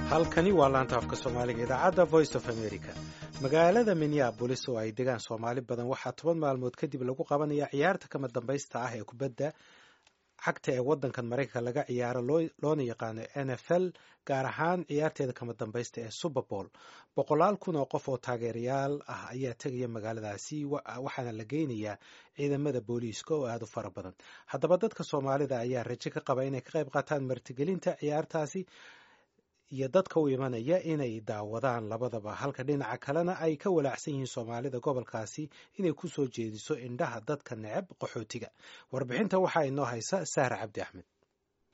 Halkani waa laanta afka Soomaaliga, idaacadda Voice of America. Magaalada Minneabolis oo ay degaan Soomaali badan waxaa 10 maalmood kadib lagu qabanaya ciyaarta kama dambaysta ah ee kubadda cagta ee waddankan Maraykanka laga ciyaaro, loona yaqaano NFL, gaar ahaan ciyaarteeda kama dambaysta ee Super Bowl. Boqolaal kun oo qof oo taageerayaal ah ayaa tegaya magaaladaasi, waxaana la geynayaa ciidamada booliiska oo aada u fara badan. Haddaba dadka Soomaalida ayaa rajo ka qaba inay ka qayb qaataan martigelinta ciyaartaasi iyo dadka u imanaya inay daawadaan labadaba, halka dhinaca kalena ay ka walaacsan yihiin Soomaalida gobolkaasi inay ku soo jeediso indhaha dadka neceb qaxootiga. Warbixinta waxaa inoo haysa Sahra Cabdi Axmed.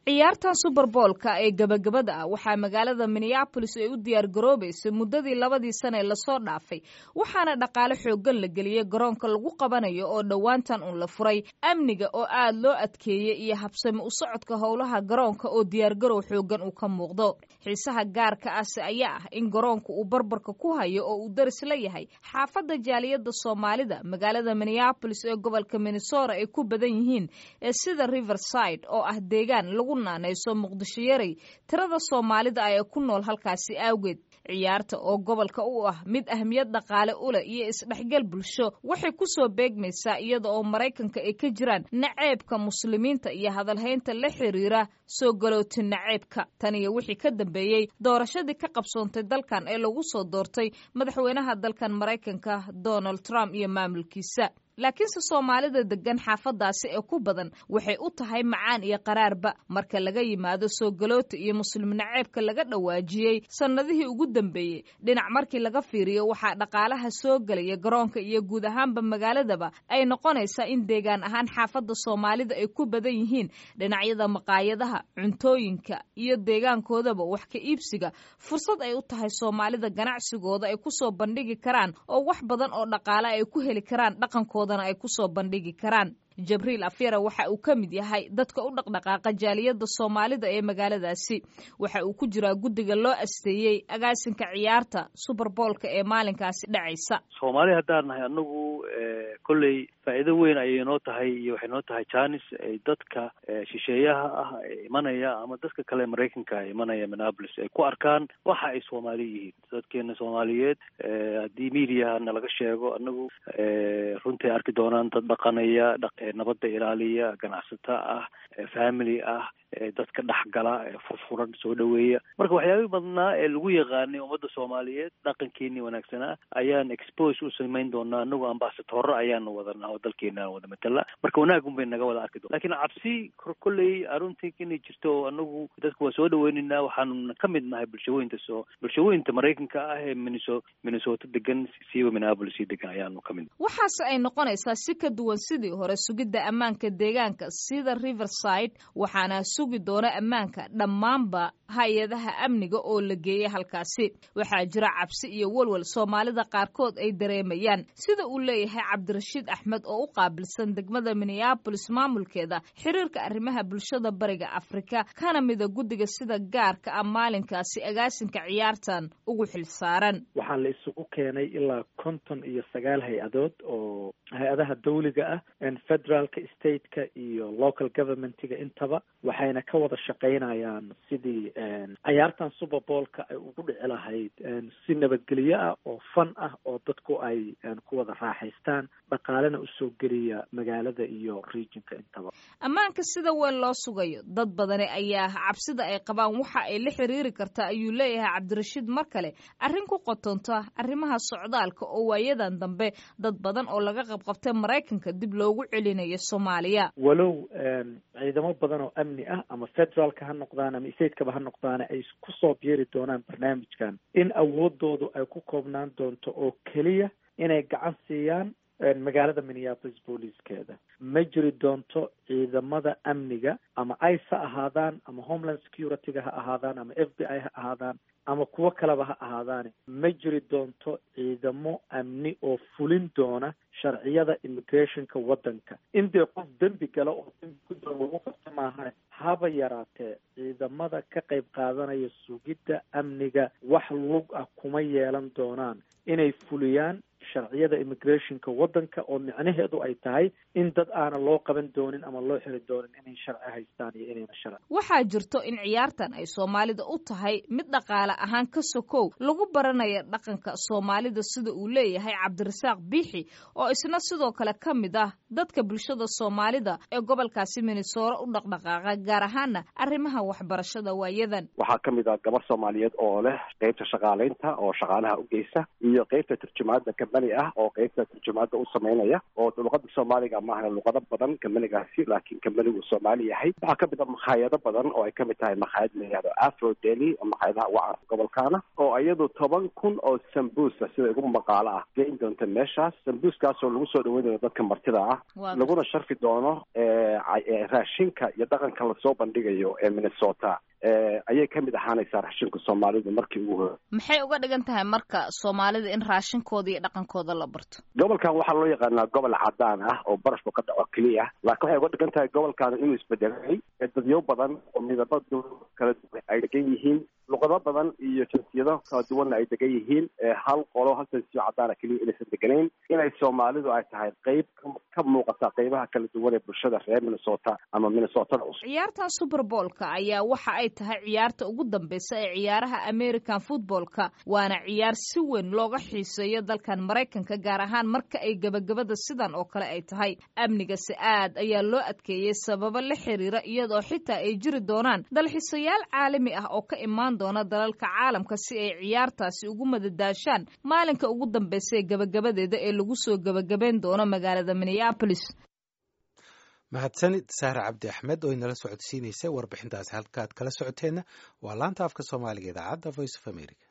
Ciyaartan Super Bowl-ka ee gabagabada ah waxaa magaalada Minneabolis ay u diyaar garoobaysay muddadii 2dii sane ee lasoo dhaafay, waxaana dhaqaale xooggan la geliyey garoonka lagu qabanayo oo dhowaantan uun la furay, amniga oo aad loo adkeeyey iyo habsami u socodka howlaha garoonka oo diyaargarow xooggan uu ka muuqdo. Xiisaha gaarka ahse ayaa ah in garoonka uu barbarka ku hayo oo uu daris la yahay xaafadda jaaliyadda Soomaalida magaalada Minneabolis ee gobolka Minnesota ay ku badan yihiin ee sida Riverside, oo ah deegaan lagu naanayso Muqdisho Yarey tirada Soomaalida ee ku nool halkaasi awgeed. Ciyaarta oo gobolka u ah mid ahmiyad dhaqaale u leh iyo isdhexgal bulsho waxay ku soo beegmaysaa iyada oo Maraykanka ay ka jiraan naceebka Muslimiinta iyo hadalhaynta la xiriira soo galooti naceebka, tan iyo wixii ka dambeeyey doorashadii ka qabsoontay dalkan ee lagu soo doortay madaxweynaha dalkan Maraykanka, Donald Trump, iyo maamulkiisa. Laakiinse Soomaalida degan xaafadaasi ee ku badan waxay u tahay macaan iyo qaraarba marka laga yimaado soo galoota iyo Muslim naceebka laga dhawaajiyey sannadihii ugu dambeeyey. Dhinac markii laga fiiriyo, waxaa dhaqaalaha soo gelaya garoonka iyo guud ahaanba magaaladaba ay noqonaysaa in deegaan ahaan xaafadda Soomaalida ay ku badan yihiin dhinacyada maqaayadaha, cuntooyinka iyo deegaankoodaba wax ka iibsiga fursad ay u tahay Soomaalida ganacsigooda ay kusoo bandhigi karaan oo wax badan oo dhaqaale ay ku heli karaan, dhaqankooda ay kusoo bandhigi karaan. Jabriil Afyara waxa uu ka mid yahay dadka u dhaqdhaqaaqa jaaliyadda Soomaalida ee magaaladaasi. Waxa uu ku jiraa guddiga loo asteeyey agaasinka ciyaarta Super Bowl-ka ee maalinkaasi dhacaysa. Soomaali haddaan nahay anagu, kolley faa'iido weyn ayay noo tahay iyo waxay noo tahay janis ay dadka shisheeyaha ah ee imanaya ama dadka kale Maraykanka ee imanaya Minneapolis ay ku arkaan waxa ay Soomaali yihiin. Dadkeena Soomaaliyeed haddii mediahana laga sheego, anagu runtii arki doonaan dad dhaqanaya, nabadda ilaaliya, ganacsata ah, family ah, dadka dhexgala, furfuran, soo dhaweeya. Marka waxyaabihii badnaa ee lagu yaqaanay ummadda Soomaaliyeed, dhaqankeenii wanaagsanaa ayaan expose u samayn doonaa. Anagu ambasadoro ayaanu wadanaa oo dalkeena wada matala, marka wanaagun bay naga wada arki doona. Lakiin cabsi kolley aruntii inay jirto oo anagu dadku waa soo dhaweyneynaa. Waxaanu ka mid nahay bulshooyinta Maraykanka ah ee Minnesota degan, siiba Minneapolis sii degan ayaanu ka mid. Waxaase ay noqonaysaa si ka duwan sidii hore sugidda ammaanka deegaanka sida Riverside, waxaana sugi doona ammaanka dhammaanba hay-adaha amniga oo la geeyay halkaasi. Waxaa jira cabsi iyo walwal Soomaalida qaarkood ay dareemayaan, sida uu leeyahay Cabdirashiid Axmed oo u qaabilsan degmada Minneabolis maamulkeeda xiriirka arrimaha bulshada Bariga Afrika, kana mida guddiga sida gaarka ah maalinkaasi agaasinka ciyaartan ugu xilsaaran. Waxaa la isugu keenay ilaa 59 hay-adood oo hay-adaha dawliga ah, federaalka, stateka iyo local governmentiga intaba, waxayna ka wada shaqaynayaan sidii cayaartan Super Bowl-ka ay ugu dhici lahayd si nabadgelyo ah oo fun ah oo dadku ay ku wada raaxaystaan, dhaqaalena usoo geliya magaalada iyo regionka intaba. Ammaanka sida weyn loo sugayo, dad badani ayaa cabsida ay qabaan waxa ay la xiriiri kartaa, ayuu leeyahay Cabdirashiid mar kale, arrin ku qotonta arrimaha socdaalka oo waayadan dambe dad badan oo laga qabqabtay Maraykanka dib loogu celinayo Soomaaliya. Walow ciidamo badan oo amni ah, ama federaalka ha noqdaan ama statekaba ha noqdaan, ay kusoo biiri doonaan barnaamijkan, in awoodoodu ay ku koobnaan doonto oo keliya inay gacan siiyaan magaalada Minneapolis booliiskeeda. Ma jiri doonto ciidamada amniga, ama ICE ha ahaadaan ama Homeland Security-ga ha ahaadaan ama FBI ha ahaadaan ama kuwo kaleba ha ahaadaane, ma jiri doonto ciidamo amni oo fulin doona sharciyada immigrationka waddanka. Intee qof dembi gala oo dembi ku daro lagu qabto maahane, Haba yaraatee ciidamada ka qayb qaadanaya sugidda amniga wax lug ah kuma yeelan doonaan inay fuliyaan sharciyada immigrationka waddanka, oo micnaheedu ay tahay in dad aana loo qaban doonin ama loo xiri doonin inay sharci haystaan iyo inayna sharci. Waxaa jirto in ciyaartan ay soomaalida u tahay mid dhaqaale ahaan ka sokow lagu baranaya dhaqanka soomaalida, sida uu leeyahay Cabdirasaaq Biixi, oo isna sidoo kale ka mid ah dadka bulshada soomaalida ee gobolkaasi Minnesota u dhaqdhaqaaqa, gaar ahaana arrimaha waxbarashada waayadan. Waxaa ka mid ah gabar soomaaliyeed oo leh qeybta shaqaalaynta oo shaqaalaha u geysa, iyo qeybta turjumaadda kambani ah oo qeybta turjumaadda u samaynaya, oo luqada soomaaliga maahna luqado badan kambanigaasi, laakiin kambanigu soomaali yahay. Waxaa ka mid ah makhaayado badan oo ay kamid tahay makhaayad la yihahdo Afro Deli oo makhaayadaha ugu caansan gobolkaana, oo iyadu 10,000 oo sambuusa sida ugu maqaalo ah geyn doonta meeshaas, sambuuskaasoo lagu soo dhaweyn doono dadka martida ah, laguna sharfi doono raashinka iyo dhaqanka lasoo bandhigayo ee Minnesota. Ayay ka mid ahaanaysaa raashinka soomaalidu markii ugu hore. Maxay uga dhigan tahay marka soomaalida in raashinkooda iyo dhaqankooda la barto? Gobolkan waxaa loo yaqaanaa gobol cadaan ah oo barafku ka dhaco keliya, laakiin waxay uga dhigan tahay gobolkan inuu isbedelay, dadyo badan oo midabo kala duwan ay degan yihiin, luqado badan iyo jinsiyado kala duwanna ay degan yihiin. Hal qolo, hal jinsiyo cadaana keliya inaysan deganayn, inay soomaalidu ay tahay qeyb ka muuqata qeybaha kala duwan ee bulshada reer Minnesota ama Minnesotada cusub. Ciyaartan Superboolka ayaa waxa ay tahay ciyaarta ugu dambeysa ee ciyaaraha American footballka, waana ciyaar si weyn looga xiiseeyo dalkan Maraykanka, gaar ahaan marka ay gebagabada sidan oo kale ay tahay. Amnigasi aad ayaa loo adkeeyey sababo la xiriira, iyadoo xitaa ay jiri doonaan dalxiisayaal caalami ah oo ka imaan doona dalalka caalamka si ay ciyaartaasi ugu madadaashaan maalinka ugu dambeysa ee gebagabadeeda ee lagu soo gebagabeyn doono magaalada Minneapolis. Mahadsanid Sahra Cabdi Axmed oo inala socodsiinaysay warbixintaasi. Halkaad kala socoteenna waa laanta afka Soomaaliga, idaacadda Voice of America.